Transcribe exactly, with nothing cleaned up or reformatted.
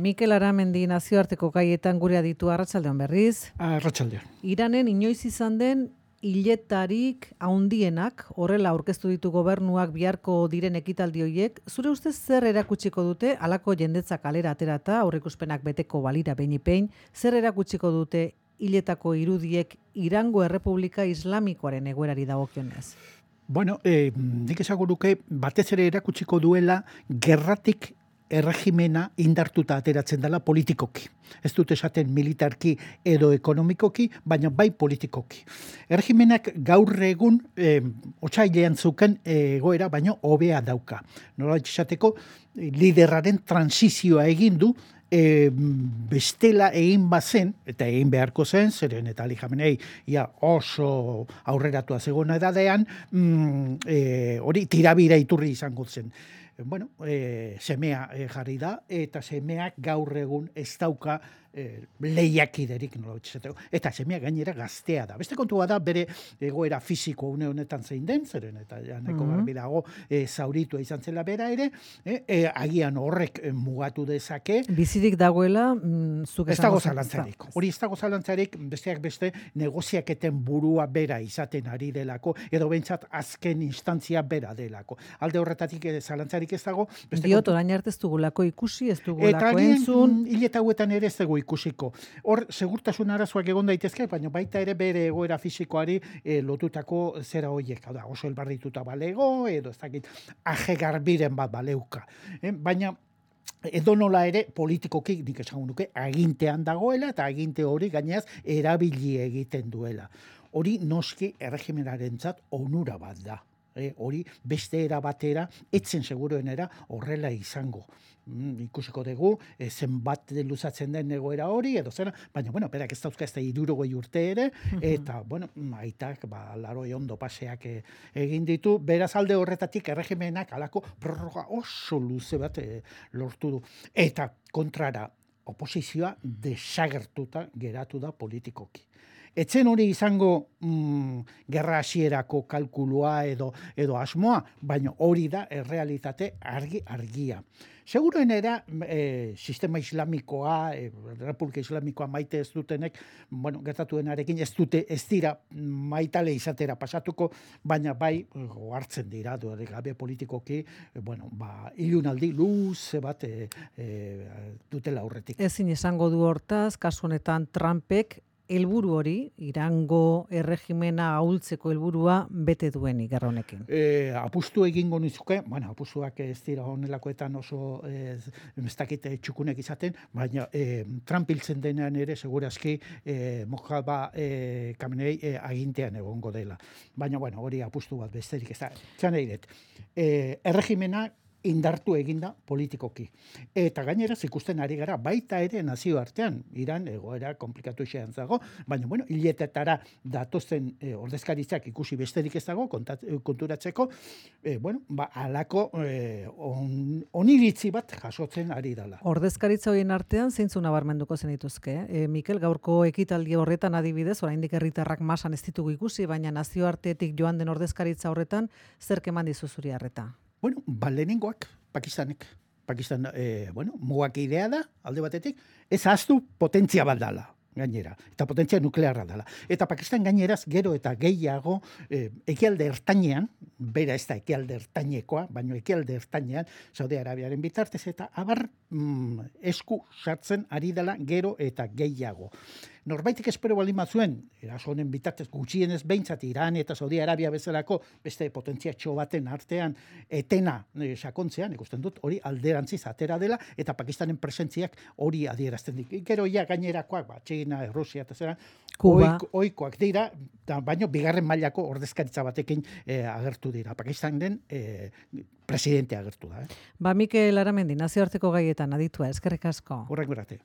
Mikel Aramendi nazioarteko gaietan gure aditu arratsaldeon berriz. Arratsaldeon. Iranen inoiz izan den hiletarik handienak, horrela aurkeztu ditu gobernuak biharko diren ekitaldi horiek, zure ustez zer erakutsiko dute halako jendetza kalera aterata, aurreikuspenak beteko balira behin-behin, zer erakutsiko dute hiletako irudiek Irango Errepublika Islamikoaren egoerari dagokionez? Bueno, eh, nik esango nuke batez ere erakutsiko duela gerratik erregimena indartuta ateratzen dela politikoki. Ez dut esaten militarki edo ekonomikoki, baina bai politikoki. Erregimenak gaur egun eh, otsailean zuken egoera, baina hobea dauka. Nola esateko, liderraren transizioa egin du, E, bestela egin bazen, eta egin beharko zen, zeren eta Ali Khamenei ia oso aurreratua zegoen edadean, mm, e, hori tirabira iturri izango zen. Bueno, e, semea e, jarri da, eta semeak gaur egun ez dauka e, lehiakiderik, nola betxeteko. Eta semea gainera gaztea da. Beste kontua da, bere egoera fisiko une honetan zein den, zeren eta janeko Mhm. garbi dago e, zauritua izan zela bera ere, e, e, agian horrek e, mugatu dezake. Bizirik dagoela, mm, zuk Ez esango dago zen- zalantzarik. Hori ez dago zalantzarik, besteak beste negoziaketen burua bera izaten ari delako, edo behintzat azken instantzia bera delako. Alde horretatik ere zalantzarik ez dago. beste Diot, kontu- orain arte ez dugulako ikusi, ez Eta dugulako agian entzun. hileta hauetan ere ez dugu ikusiko. Hor, segurtasun arazoak egon daitezke, baina baita ere bere egoera fisikoari eh, lotutako zera horiek. Hau da, oso elbarrituta balego, edo ez dakit, aje garbiren bat baleuka. Eh, baina edo nola ere politikoki nik esango nuke agintean dagoela eta aginte hori gainaz erabili egiten duela. Hori noski erregimenarentzat onura bat da. E, hori beste era batera, etzen seguruenera horrela izango. Mm, ikusiko dugu, e, zenbat luzatzen den egoera hori, edo zera, baina, bueno, berak ez dauzka ez da hirurogei urte ere, eta, bueno, aitak, ba, laroi ondo paseak e, egin ditu, beraz alde horretatik erregimenak alako prorroga oso luze bat e, lortu du. Eta kontrara, oposizioa desagertuta geratu da politikoki. Etzen hori izango mm, gerra hasierako kalkulua edo edo asmoa, baina hori da errealitate argi argia. Seguruenera e, sistema islamikoa, e, Republika Islamikoa maite ez dutenek, bueno, gertatuenarekin ez dute ez dira maitale izatera pasatuko, baina bai hartzen dira duerik gabe politikoki, e, bueno, ba ilunaldi luze bat e, e, dutela aurretik. Ezin esango du hortaz, kasu honetan Trumpek helburu hori, Irango erregimena ahultzeko helburua bete duenik gerra honekin. E, apustu egingo nizuke, bueno, apustuak ez dira honelakoetan oso ez, ez dakit txukunek izaten, baina e, Trump hiltzen denean ere segurazki e, Mojaba e, Khamenei e, agintean egongo dela. Baina, bueno, hori apustu bat besterik ez da. Txan eiret, e, erregimena indartu eginda politikoki. Eta gainera ikusten ari gara baita ere nazioartean, Iran egoera komplikatu xean zago, baina bueno, hiletetara datozen e, ordezkaritzak ikusi besterik ez dago kontat, konturatzeko, e, bueno, ba, alako e, on, oniritzi bat jasotzen ari dela. Ordezkaritza horien artean zeintzu nabarmenduko zenituzke? E, Mikel, gaurko ekitaldi horretan adibidez, oraindik herritarrak masan ez ditugu ikusi, baina nazioartetik joan den ordezkaritza horretan zerk eman dizu zuri harreta? Bueno, ba, lehenengoak, Pakistanek. Pakistan, eh, bueno, mugak idea da, alde batetik, ez ahaztu potentzia bat dala, gainera, eta potentzia nuklearra dala. Eta Pakistan gaineraz gero eta gehiago eh, ekialde ertainean, bera ez da ekialde ertainekoa, baina ekialde ertainean, Saudi Arabiaren bitartez, eta abar mm, esku sartzen ari dela gero eta gehiago. Norbaitik espero baldin bazuen, eraso honen bitartez gutxienez behintzat Iran eta Saudi Arabia bezalako beste potentziatxo baten artean etena e, sakontzean, ikusten dut, hori alderantziz atera dela, eta Pakistanen presentziak hori adierazten dik. Gero ja gainerakoak, ba, Txina, Rusia eta zera, Kuba. oik, oikoak dira, da, baino bigarren mailako ordezkaritza batekin e, agertu dira. Pakistanen e, presidente agertu da. Eh? Ba, Mikel Aramendi, nazioarteko gaietan aditua, eskerrik asko. Horrek berate.